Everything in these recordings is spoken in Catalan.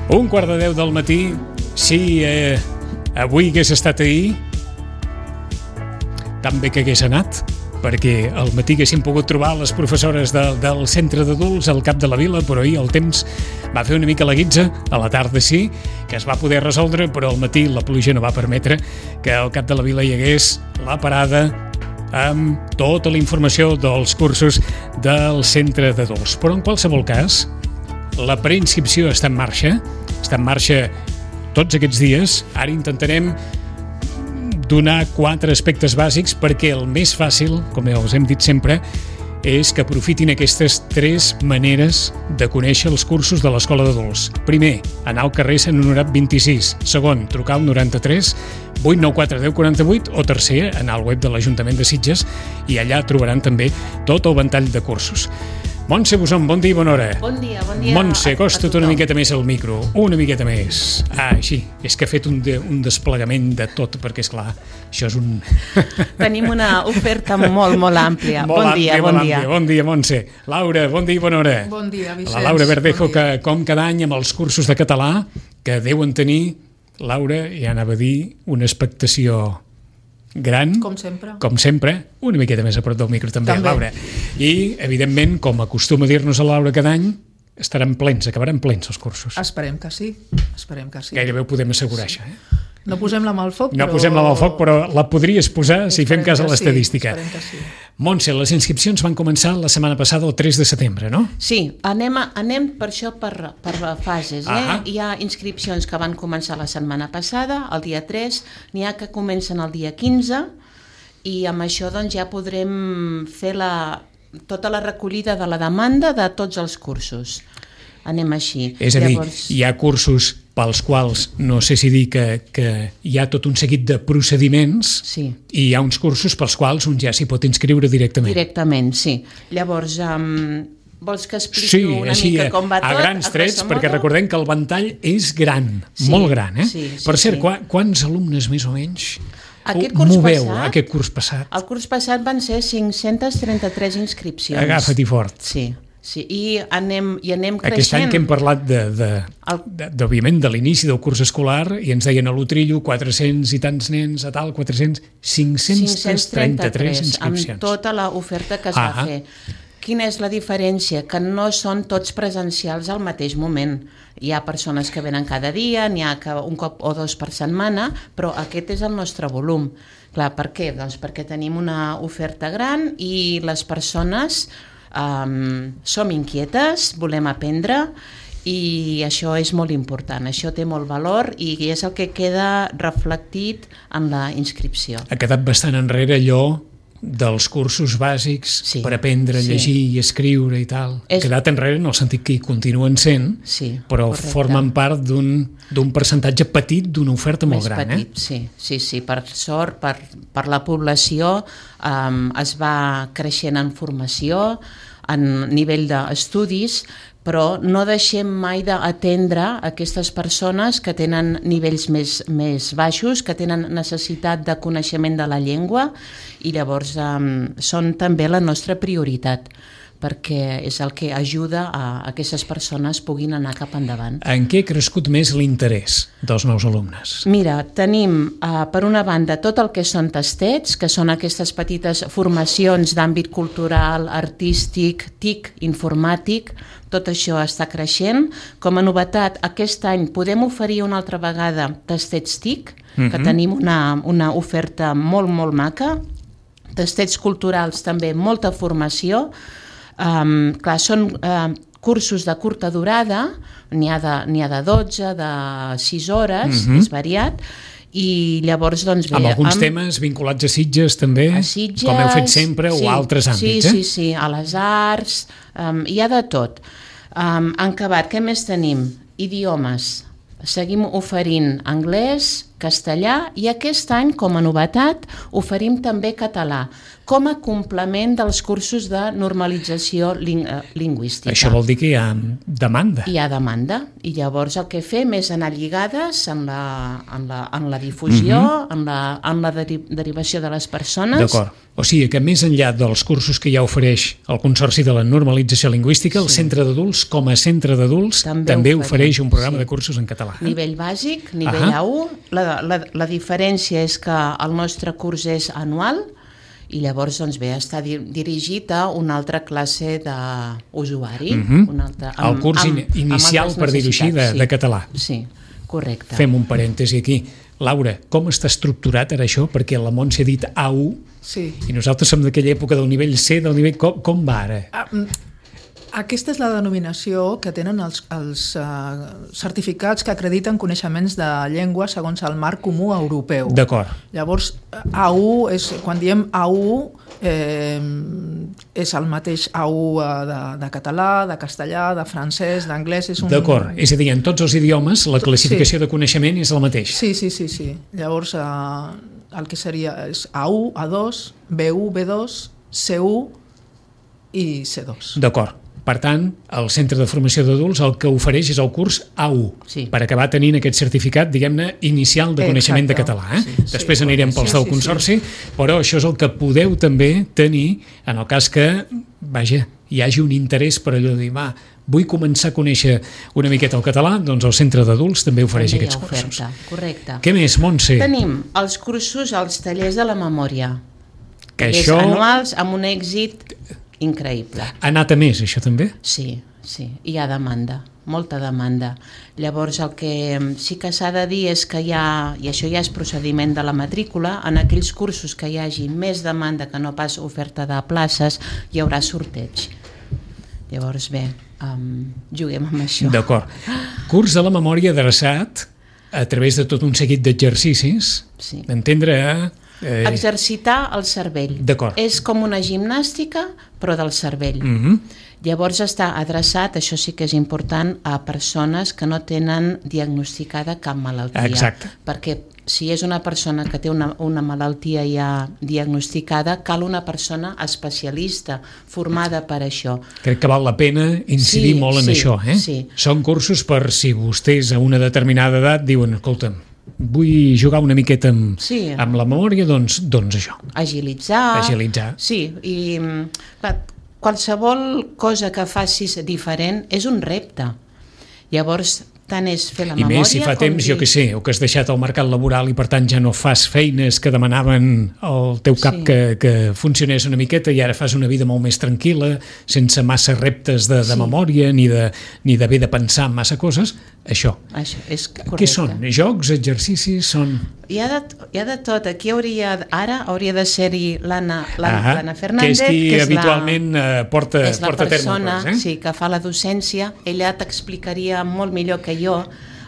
1:45 del matí. Si avui hagués estat ahir, tan bé que hagués anat, perquè al matí haguéssim pogut trobar les professores del centre d'adults al cap de la vila, però ahir el temps va fer una mica la guitza. A la tarda sí, que es va poder resoldre, però al matí la pluja no va permetre que al cap de la vila hi hagués la parada amb tota la informació dels cursos del centre d'adults. Però en qualsevol cas, la preinscripció està en marxa tots aquests dies. Ara intentarem donar 4 aspectes bàsics perquè el més fàcil, com us hem dit sempre, és que aprofitin aquestes 3 maneres de conèixer els cursos de l'Escola d'Adults. Primer, anar al carrer Sant Honorat 26. Segon, trucar al 93 894 1048 o tercer, anar al web de l'Ajuntament de Sitges i allà trobaran també tot el ventall de cursos. Montse Boson, bon dia i bona hora. Bon dia. Montse, acosta't una miqueta més al micro, una miqueta més. Així, és que he fet un desplegament de tot, perquè és clar, això és un... Tenim una oferta molt àmplia. Bon dia. Bon dia, Montse. Laura, bon dia i bona hora. Bon dia, Vicenç. La Laura Verdejo, que com cada any amb els cursos de català, que deuen tenir, Laura, ja anava a dir, una expectació gran, com sempre, una miqueta més a prop del micro també. Laura. I, evidentment, com acostuma a dir-nos a Laura cada any, acabaran plens els cursos. Esperem que sí. Gairebé ho podem assegurar, sí. Això. No posem la mà al foc, però la podries posar si fem cas a l'estadística. Esperem que sí. Montse, les inscripcions van començar la setmana passada, el 3 de setembre, no? Sí, anem per això per fases. Hi ha inscripcions que van començar la setmana passada, el dia 3, n'hi ha que comencen el dia 15, i amb això doncs, ja podrem fer tota la recollida de la demanda de tots els cursos. Anem així. És a dir, hi ha cursos pels quals, no sé si dir que hi ha tot un seguit de procediments, sí. I hi ha uns cursos pels quals un ja s'hi pot inscriure directament. Directament, sí. Llavors, vols que expliqui una mica com va tot? A grans trets, perquè recordem que el ventall és gran, molt gran. Per cert, quants alumnes més o menys moveu aquest curs passat? El curs passat van ser 533 inscripcions. Agafa-t'hi fort. Sí, i anem creixent. Aquest any que hem parlat òbviament de l'inici del curs escolar i ens deien a l'Utrillo 400 i tants nens, a tal, 533 inscripcions. Amb tota l'oferta que es va fer. Quina és la diferència? Que no són tots presencials al mateix moment. Hi ha persones que venen cada dia, n'hi ha que un cop o 2 per setmana, però aquest és el nostre volum. Clar, per què? Doncs perquè tenim una oferta gran i les persones som inquietes, volem aprendre i això és molt important, això té molt valor i és el que queda reflectit en la inscripció. Ha quedat bastant enrere allò dels cursos bàsics per aprendre a llegir i escriure i tal. Ha quedat enrere en el sentit que hi continuen sent, però formen part d'un percentatge petit d'una oferta molt gran. Més petit, sí. Per sort, per la població es va creixent en formació, en nivell d'estudis, però no deixem mai d'atendre aquestes persones que tenen nivells més baixos, que tenen necessitat de coneixement de la llengua i llavors són també la nostra prioritat, perquè és el que ajuda a aquestes persones puguin anar cap endavant. En què ha crescut més l'interès dels nous alumnes? Mira, tenim per una banda tot el que són tastets, que són aquestes petites formacions d'àmbit cultural, artístic, TIC, informàtic, tot això està creixent. Com a novetat, aquest any podem oferir una altra vegada tastets TIC, que tenim una oferta molt maca, tastets culturals també, molta formació. Clar, són cursos de curta durada, n'hi ha de 12, de 6 hores, és variat, i llavors doncs bé... Amb alguns temes vinculats a Sitges també, com heu fet sempre, o altres àmbits, Sí, a les arts, hi ha de tot. En acabat, què més tenim? Idiomes. Seguim oferint anglès, castellà i aquest any, com a novetat, oferim també català, com a complement dels cursos de normalització lingüística. Això vol dir que hi ha demanda. Hi ha demanda, i llavors el que fem és anar lligades en la difusió, en la derivació de les persones. D'acord. O sigui que més enllà dels cursos que ja ofereix el Consorci de la Normalització Lingüística, el Centre d'Adults, com a centre d'adults, també ofereix un programa de cursos en català. Nivell bàsic, nivell A1. La diferència és que el nostre curs és anual i llavors està dirigit a una altra classe d'usuari. El curs inicial, per dir-ho així, de català. Sí, correcte. Fem un parèntesi aquí. Laura, com està estructurat ara això? Perquè la Montse ha dit A1 i nosaltres som d'aquella època del nivell C, del nivell... Com va ara? Aquesta és la denominació que tenen els certificats que acrediten coneixements de llengua segons el marc comú europeu. D'acord. Llavors, A1, quan diem A1, és el mateix A1 de català, de castellà, de francès, d'anglès... D'acord, és a dir, en tots els idiomes la classificació de coneixement és la mateixa. Sí. Llavors, el que seria és A1, A2, B1, B2, C1 i C2. D'acord. Per tant, el Centre de Formació d'Adults el que ofereix és el curs A1, per acabar tenint aquest certificat, diguem-ne, inicial de coneixement de català. Després anirem pels del Consorci, però això és el que podeu també tenir en el cas que, hi hagi un interès per allò de dir, vull començar a conèixer una miqueta el català, doncs el Centre d'Adults també ofereix aquests cursos. Correcte. Què més, Montse? Tenim els cursos, els tallers de la memòria, tallers anuals amb un èxit increïble. Ha anat a més, això també? Sí, hi ha demanda, molta demanda. Llavors el que sí que s'ha de dir és que hi ha, i això ja és procediment de la matrícula, en aquells cursos que hi hagi més demanda que no pas oferta de places, hi haurà sorteig. Llavors juguem amb això. D'acord. Curs de la memòria adreçat a través de tot un seguit d'exercicis, d'entendre exercitar el cervell. És com una gimnàstica, però del cervell. Llavors està adreçat, això sí que és important, a persones que no tenen diagnosticada cap malaltia. Exacte. Perquè si és una persona que té una malaltia ja diagnosticada, cal una persona especialista, formada per això. Crec que val la pena incidir molt en això. Són cursos per si vostès a una determinada edat diuen, escolta'm, vull jugar una miqueta amb la memòria, doncs això. Agilitzar. Sí, i qualsevol cosa que facis diferent és un repte. Llavors, tant és fer la memòria... I més si fa temps, jo què sé, o que has deixat el mercat laboral i per tant ja no fas feines que demanaven al teu cap que funcionés una miqueta i ara fas una vida molt més tranquil·la, sense massa reptes de memòria ni d'haver de pensar en massa coses, això. Això és correcte. Què són? Jocs, exercicis, són... Hi ha de tot. Aquí hauria de ser-hi l'Anna Fernández, que és qui habitualment porta a terme. És la persona que fa la docència. Ella t'explicaria molt millor que jo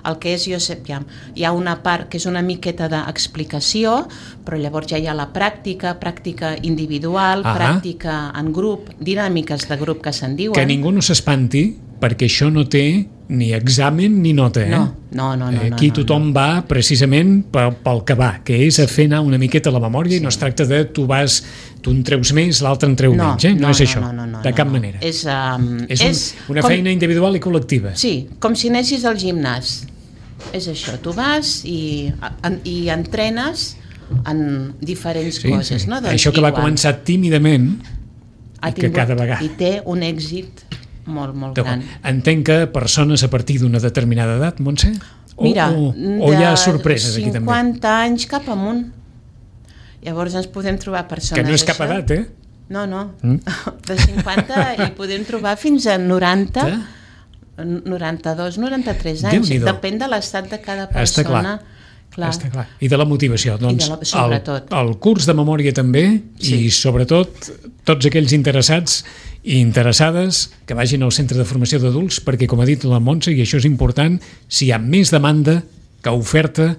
el que és. Hi ha una part que és una miqueta d'explicació, però llavors ja hi ha la pràctica individual, pràctica en grup, dinàmiques de grup que se'n diuen. Que ningú no s'espanti, perquè això no té ni examen ni nota. No. Aquí tothom va precisament pel que va, que és a fer anar una miqueta la memòria i no es tracta de tu en treus més, l'altre en treu menys. No és això, de cap manera. És una feina individual i col·lectiva. Sí, com si anessis al gimnàs. És això, tu vas i entrenes en diferents coses. Això que va començar tímidament i que cada vegada... I té un èxit molt gran. Entenc que persones a partir d'una determinada edat, Montse? Mira, o hi ha sorpreses aquí també? 50 anys cap amunt. Llavors ens podem trobar persones... Que no és cap edat, No. De 50 hi podem trobar fins a 90, 92, 93 anys. Depèn de l'estat de cada persona. Està clar. I de la motivació. Doncs sobretot. El curs de memòria també i sobretot tots aquells interessats i interessades que vagin al Centre de Formació d'Adults perquè, com ha dit la Montse, i això és important, si hi ha més demanda que oferta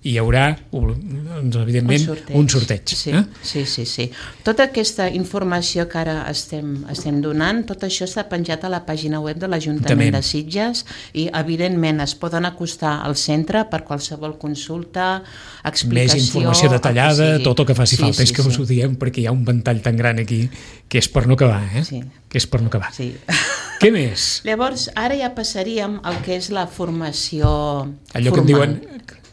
hi haurà, doncs, evidentment, un sorteig. Sí. Tota aquesta informació que ara estem donant, tot això està penjat a la pàgina web de l'Ajuntament de Sitges i, evidentment, es poden acostar al centre per qualsevol consulta, explicació... Més informació detallada, tot el que faci falta. És que us ho diem perquè hi ha un ventall tan gran aquí que és per no acabar, que és per no acabar. Sí. Què més? Llavors, ara ja passaríem al que és la formació allò formal. Que en diuen,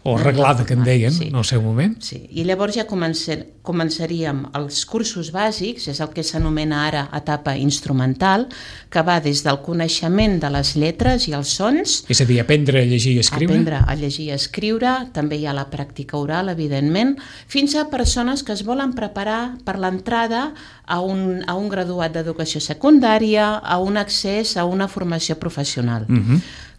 o reglada que en deien, en el seu moment. Sí, i llavors ja començaríem els cursos bàsics, és el que s'anomena ara etapa instrumental, que va des del coneixement de les lletres i els sons... És a dir, aprendre a llegir i escriure. Aprendre a llegir i escriure, també hi ha la pràctica oral, evidentment, fins a persones que es volen preparar per l'entrada a un graduat d'educació secundària, a un accés a una formació professional.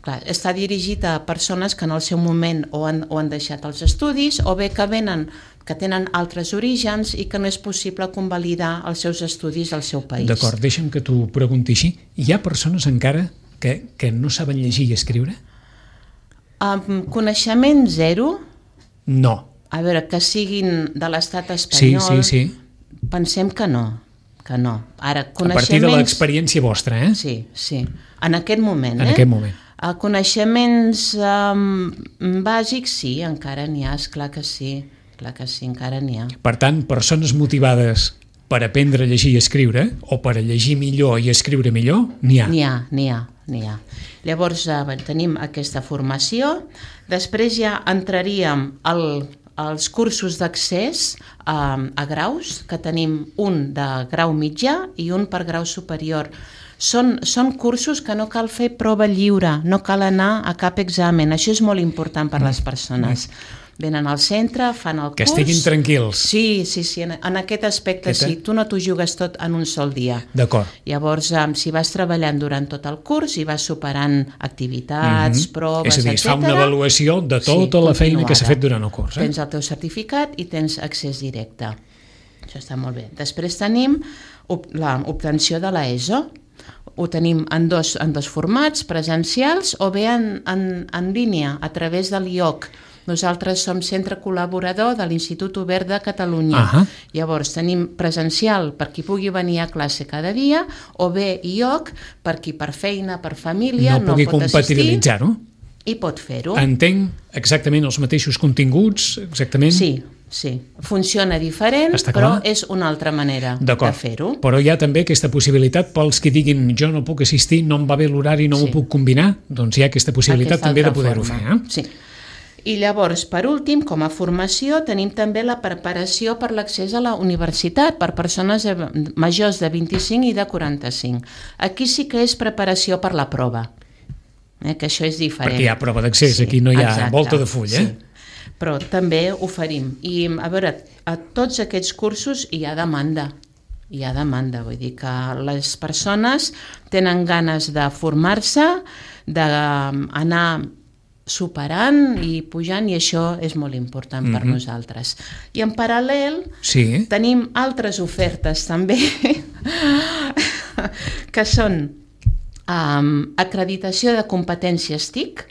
Clar, està dirigit a persones que en el seu moment o han deixat els estudis o bé que tenen altres orígens i que no és possible convalidar els seus estudis al seu país. D'acord, deixa'm que t'ho pregunti així. Hi ha persones encara que no saben llegir i escriure? Coneixement zero? No. A veure, que siguin de l'estat espanyol... Sí. Pensem que no. Ara, a partir de l'experiència vostra, Sí. En aquest moment, En aquest moment. Coneixements bàsics, sí, encara n'hi ha, esclar que sí, encara n'hi ha. Per tant, persones motivades per aprendre a llegir i escriure, o per a llegir millor i escriure millor, n'hi ha. N'hi ha. Llavors tenim aquesta formació, després ja entraríem als cursos d'accés a graus, que tenim un de grau mitjà i un per grau superior. Són cursos que no cal fer prova lliure, no cal anar a cap examen, això és molt important per a les persones. Venen al centre, fan el curs... Que estiguin tranquils. Sí, en aquest aspecte sí, tu no t'ho jugues tot en un sol dia. D'acord. Llavors, si vas treballant durant tot el curs i vas superant activitats, proves, etc. És a dir, es fa una avaluació de tota la feina que s'ha fet durant el curs. Tens el teu certificat i tens accés directe. Això està molt bé. Després tenim l'obtenció de l'ESO. Ho tenim en dos formats, presencials o bé en línia, a través de l'IOC. Nosaltres som centre col·laborador de l'Institut Obert de Catalunya. Llavors tenim presencial per qui pugui venir a classe cada dia o bé IOC per qui per feina, per família no pugui pot assistir compatibilitzar-ho i pot fer-ho. Entenc exactament els mateixos continguts, exactament? Sí. Funciona diferent, però és una altra manera de fer-ho. Però hi ha també aquesta possibilitat pels que diguin jo no puc assistir, no em va bé l'horari, no m'ho puc combinar, doncs hi ha aquesta possibilitat també de poder-ho fer. Sí. I llavors, per últim, com a formació, tenim també la preparació per l'accés a la universitat per persones majors de 25 i de 45. Aquí sí que és preparació per la prova, que això és diferent. Perquè hi ha prova d'accés, aquí no hi ha volta de full, Però també oferim. I, a veure, a tots aquests cursos hi ha demanda. Vull dir que les persones tenen ganes de formar-se, d'anar superant i pujant, i això és molt important per nosaltres. I en paral·lel tenim altres ofertes també que són acreditació de competències TIC.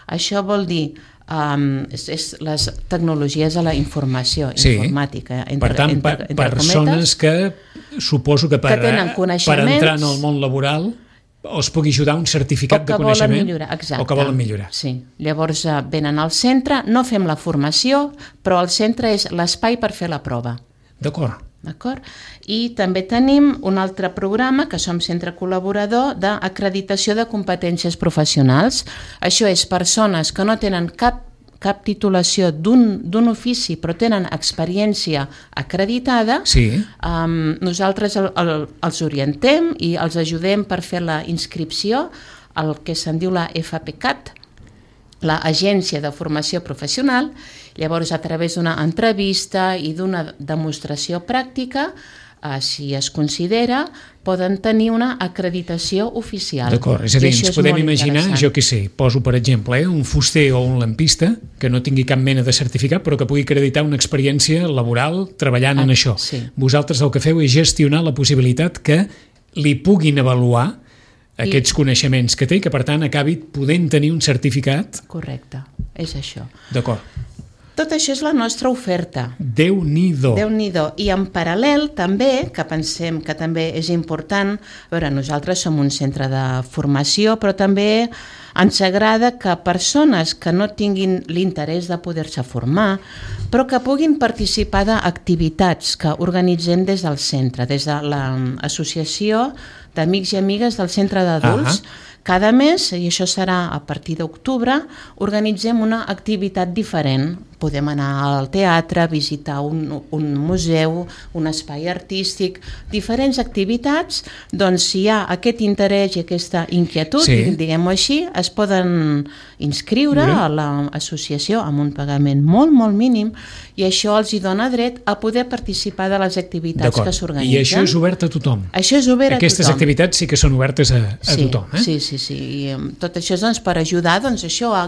Això vol dir les tecnologies de la informació, informàtica. Per tant, persones que suposo que per entrar en el món laboral us pugui ajudar un certificat de coneixement o que volen millorar. Sí. Llavors venen al centre, no fem la formació, però el centre és l'espai per fer la prova. D'acord. I també tenim un altre programa, que som centre col·laborador, d'acreditació de competències professionals. Això és persones que no tenen cap titulació d'un ofici, però tenen experiència acreditada. Nosaltres els orientem i els ajudem per fer la inscripció al que se'n diu la FPCAT, l'Agència de Formació Professional. Llavors, a través d'una entrevista i d'una demostració pràctica, si es considera, poden tenir una acreditació oficial. D'acord, és a dir, ens podem imaginar, jo què sé, poso per exemple, un fuster o un lampista que no tingui cap mena de certificat però que pugui acreditar una experiència laboral treballant en això. Vosaltres el que feu és gestionar la possibilitat que li puguin avaluar aquests coneixements que té i que per tant acabi podent tenir un certificat. Correcte, és això. D'acord. Tot això és la nostra oferta. Déu-n'hi-do. Déu-n'hi-do. I en paral·lel també, que pensem que també és important, a veure, nosaltres som un centre de formació, però també ens agrada que persones que no tinguin l'interès de poder-se formar, però que puguin participar d'activitats que organitzem des del centre, des de l'associació d'amics i amigues del centre d'adults. Cada mes, i això serà a partir d'octubre, organitzem una activitat diferent. Podem anar al teatre, visitar un museu, un espai artístic, diferents activitats. Doncs si hi ha aquest interès i aquesta inquietud, diguem-ho així, es poden inscriure a l'associació amb un pagament molt, molt mínim, i això els hi dona dret a poder participar de les activitats que s'organitzen. I això és obert a tothom? Això és obert a tothom. Aquestes activitats sí que són obertes a tothom, eh? Sí. I tot això és per ajudar a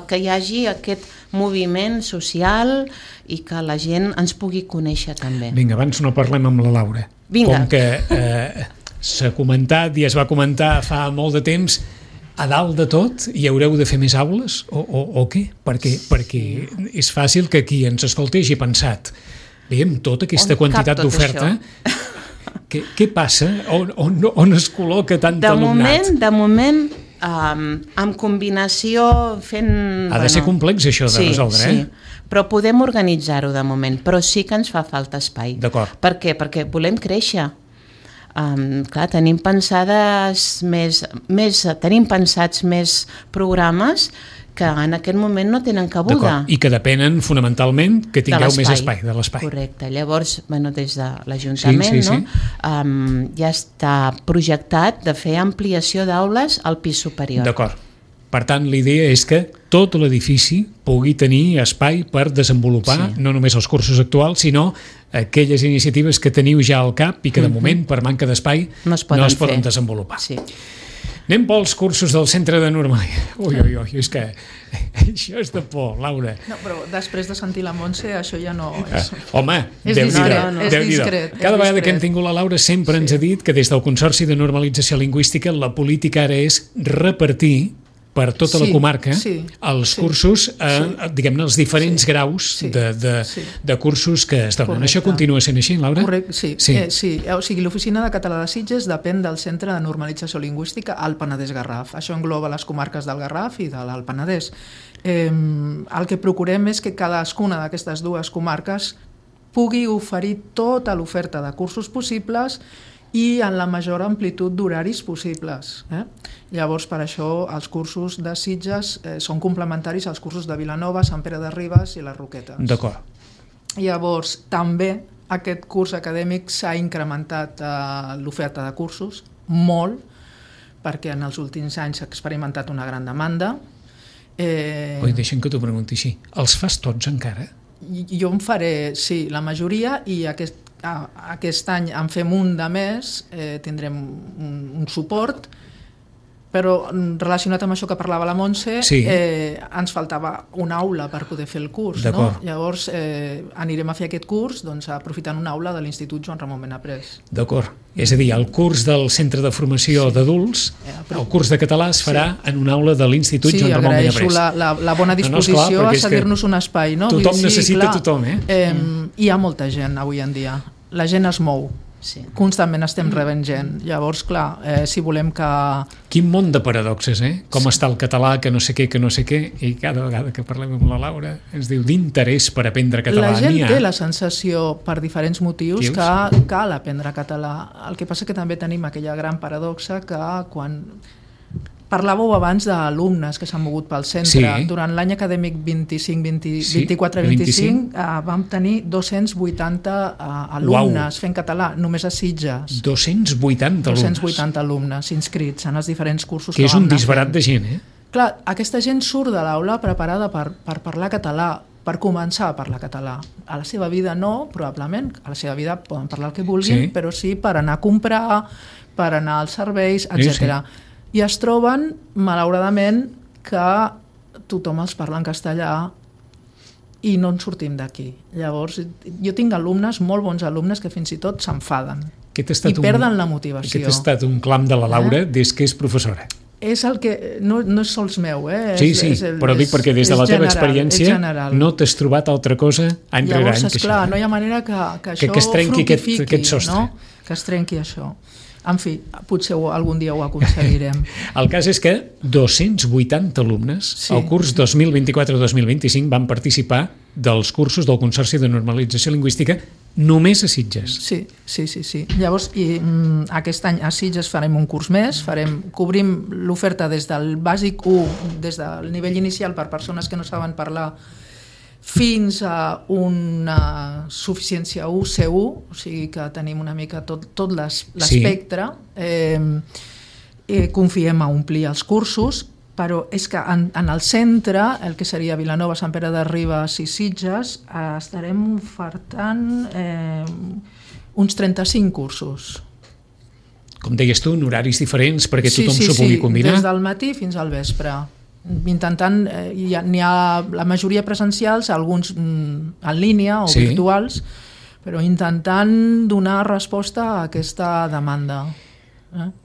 que hi hagi aquest moviment social i que la gent ens pugui conèixer també. Vinga, abans no parlem amb la Laura. Vinga. Com que s'ha comentat i es va comentar fa molt de temps, a dalt de tot hi haureu de fer més aules o què? Perquè és fàcil que qui ens escolti hagi pensat, amb tota aquesta quantitat d'oferta, què passa? On es col·loca tant alumnat? De moment, amb combinació fent... Ha de ser complex això de resoldre, sí, però podem organitzar-ho de moment, però sí que ens fa falta espai. D'acord. Per què? Perquè volem créixer. Clar, tenim pensats més programes que en aquest moment no tenen cabuda. I que depenen fonamentalment que tingueu més espai, de l'espai. Correcte. Llavors, des de l'Ajuntament, ja està projectat de fer ampliació d'aules al pis superior. D'acord. Per tant, l'idea és que tot l'edifici pugui tenir espai per desenvolupar no només els cursos actuals, sinó aquelles iniciatives que teniu ja al cap i que de moment, per manca d'espai, no es poden desenvolupar. Sí. Anem pels cursos del centre de normalitat. Ui, és que això és de por, Laura. No, però després de sentir la Montse, això ja no és... Home, és discret. Cada vegada que hem tingut la Laura sempre ens ha dit que des del Consorci de Normalització Lingüística la política ara és repartir per tota la comarca els cursos, diguem-ne, els diferents graus de cursos que es donen. Correcte. Això continua sent així, Laura? Correcte, sí. O sigui, l'Oficina de Català de Sitges depèn del Centre de Normalització Lingüística al Penedès-Garraf. Això engloba les comarques del Garraf i de l'Alt Penedès. El que procurem és que cadascuna d'aquestes dues comarques pugui oferir tota l'oferta de cursos possibles i en la major amplitud d'horaris possibles. Llavors, per això, els cursos de Sitges són complementaris als cursos de Vilanova, Sant Pere de Ribes i les Roquetes. D'acord. Llavors, també aquest curs acadèmic s'ha incrementat l'oferta de cursos, molt, perquè en els últims anys s'ha experimentat una gran demanda. Deixa'm que t'ho pregunti així. Els fas tots encara? Jo en faré, sí, la majoria, i aquest any en fem un de més, tindrem un suport, però relacionat amb això que parlava la Montse, ens faltava una aula per poder fer el curs. No? Llavors anirem a fer aquest curs aprofitant una aula de l'Institut Joan Ramon Benaprés. D'acord. És a dir, el curs del Centre de Formació d'Adults, el curs de català es farà en una aula de l'Institut Joan Ramon Benaprés. Sí, agraeixo la bona disposició a cedir-nos un espai. Tothom necessita tothom, Hi ha molta gent avui en dia. La gent es mou. Constantment estem rebent gent. Llavors, clar, si volem que... Quin món de paradoxes, Com està el català, que no sé què, i cada vegada que parlem amb la Laura ens diu d'interès per aprendre català. La gent té la sensació, per diferents motius, que cal aprendre català. El que passa que també tenim aquella gran paradoxa que quan... Parlàveu abans d'alumnes que s'han mogut pel centre. Durant l'any acadèmic 24-25 vam tenir 280 alumnes fent català, només a Sitges. 280 alumnes? 280 alumnes inscrits en els diferents cursos que és un disbarat de gent, Clar, aquesta gent surt de l'aula preparada per parlar català, per començar a parlar català. A la seva vida no, probablement, a la seva vida poden parlar el que vulguin, però sí per anar a comprar, per anar als serveis, etc. I es troben, malauradament, que tothom els parla en castellà i no en sortim d'aquí. Llavors, jo tinc alumnes, molt bons alumnes, que fins i tot s'enfaden i perden la motivació. Aquest ha estat un clam de la Laura des que és professora. és el que... No és sols meu, Sí, però dic perquè des de la teva experiència no t'has trobat altra cosa any rere any. Llavors, esclar, no hi ha manera que això es trenqui aquest sostre. No? Que es trenqui això. En fi, potser algun dia ho aconseguirem. El cas és que 280 alumnes al curs 2024-2025 van participar dels cursos del Consorci de Normalització Lingüística només a Sitges. Sí. Llavors, aquest any a Sitges farem un curs més, cobrim l'oferta des del bàsic 1, des del nivell inicial per persones que no saben parlar, fins a una suficiència 1 C1, o sigui que tenim una mica tot l'espectre. Confiem a omplir els cursos, però és que en el centre, el que seria Vilanova, Sant Pere de Ribes i Sitges, estarem ofertant uns 35 cursos. Com deies tu, en horaris diferents perquè tothom s'ho pugui combinar? Sí, des del matí fins al vespre. Intentant, n'hi ha la majoria presencials, alguns en línia o virtuals, però intentant donar resposta a aquesta demanda.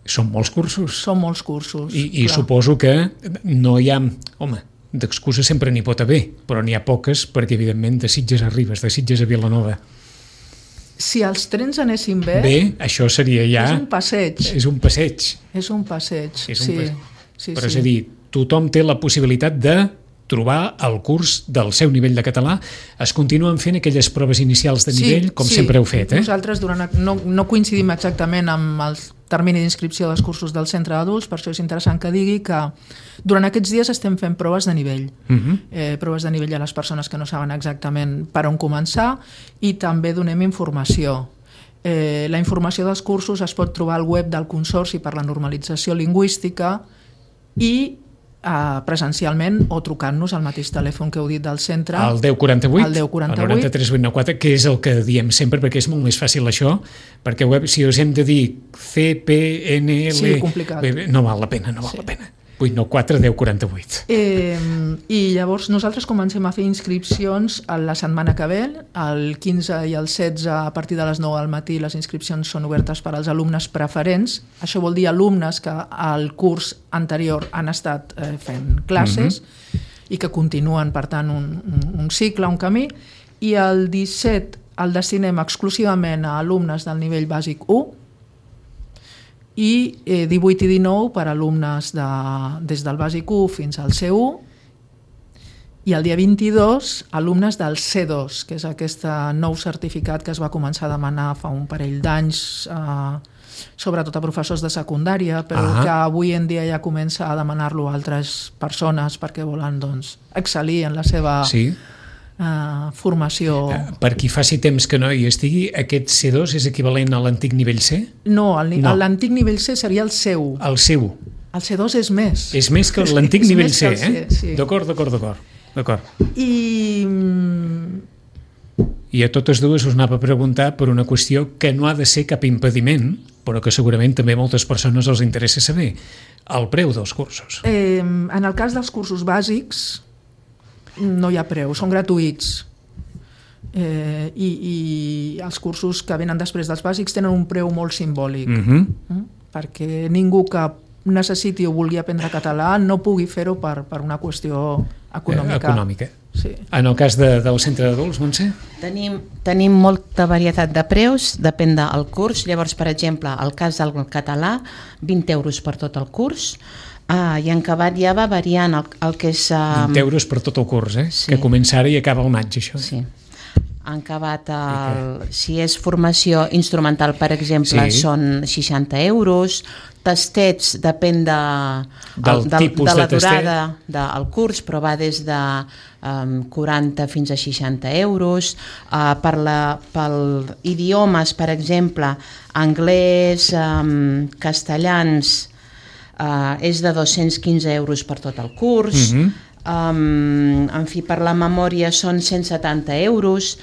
Són molts cursos. Són molts cursos. I suposo que no hi ha... Home, d'excusa sempre n'hi pot haver, però n'hi ha poques perquè, evidentment, de Sitges a Ribes, de Sitges a Vilanova. Si els trens anessin bé... això seria ja... És un passeig. És un passeig. Sí. Però és a dir, tothom té la possibilitat de trobar el curs del seu nivell de català. Es continuen fent aquelles proves inicials de nivell, com sempre heu fet. Nosaltres no coincidim exactament amb el termini d'inscripció dels cursos del centre d'adults, per això és interessant que digui que durant aquests dies estem fent proves de nivell. Proves de nivell a les persones que no saben exactament per on començar, i també donem informació. La informació dels cursos es pot trobar al web del Consorci per la Normalització Lingüística i presencialment o trucant-nos al mateix telèfon que heu dit del centre, al 1048, al 93 894, que és el que diem sempre perquè és molt més fàcil això, perquè web, si us hem de dir CPNL, no val la pena. 894 1048. I llavors nosaltres comencem a fer inscripcions la setmana que ve, el 15 i el 16 a partir de les 9 del matí. Les inscripcions són obertes per als alumnes preferents. Això vol dir alumnes que al curs anterior han estat fent classes i que continuen, per tant, un cicle, un camí. I el 17 el destinem exclusivament a alumnes del nivell bàsic 1, i 18 i 19 per alumnes des del bàsic 1 fins al C1, i el dia 22 alumnes del C2, que és aquest nou certificat que es va començar a demanar fa un parell d'anys, sobretot a professors de secundària, però que avui en dia ja comença a demanar-lo a altres persones perquè volen excel·lir en la seva formació. Per qui faci temps que no hi estigui, aquest C2 és equivalent a l'antic nivell C? No, l'antic nivell C seria el C1. El C1. El C2 és més. És més que l'antic nivell C, sí. D'acord. I a totes dues us anava a preguntar per una qüestió que no ha de ser cap impediment, però que segurament també a moltes persones els interessa saber: el preu dels cursos. En el cas dels cursos bàsics no hi ha preu, són gratuïts, i els cursos que venen després dels bàsics tenen un preu molt simbòlic, perquè ningú que necessiti o vulgui aprendre català no pugui fer-ho per una qüestió econòmica. Sí. En el cas del centre d'adults, Montse? Tenim molta varietat de preus, depèn del curs. Llavors, per exemple, el cas del català, 20 euros per tot el curs, i en acabat ja va variant el que és... 20 euros per tot el curs, que comença ara i acaba al maig, això. Sí. En acabat, si és formació instrumental, per exemple, són 60 euros. Tastets, depèn de la durada del curs, però va des de 40 fins a 60 euros. Per idiomes, per exemple, anglès, castellans, és de 215 euros per tot el curs. En fi, per la memòria són 170 euros,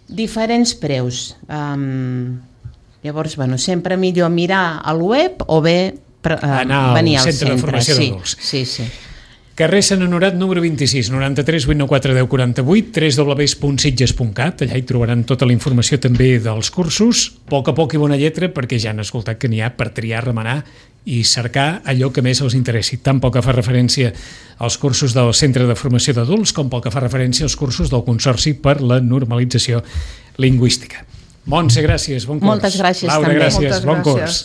diferents preus. Llavors, sempre millor mirar al web o bé anar al venir al centre de formació d'adults. Sí. Carrer Sant Honorat número 26, 93 894 1048, www.sitges.cat. Allà hi trobaran tota la informació també dels cursos. A poc i bona lletra, perquè ja han escoltat que n'hi ha per triar, remenar i cercar allò que més els interessi, tant pel que fa referència als cursos del Centre de Formació d'Adults com pel que fa referència als cursos del Consorci per la Normalització Lingüística. Montse, gràcies, bon curs. Moltes gràcies Laura, també. gràcies, Moltes bon gràcies. curs.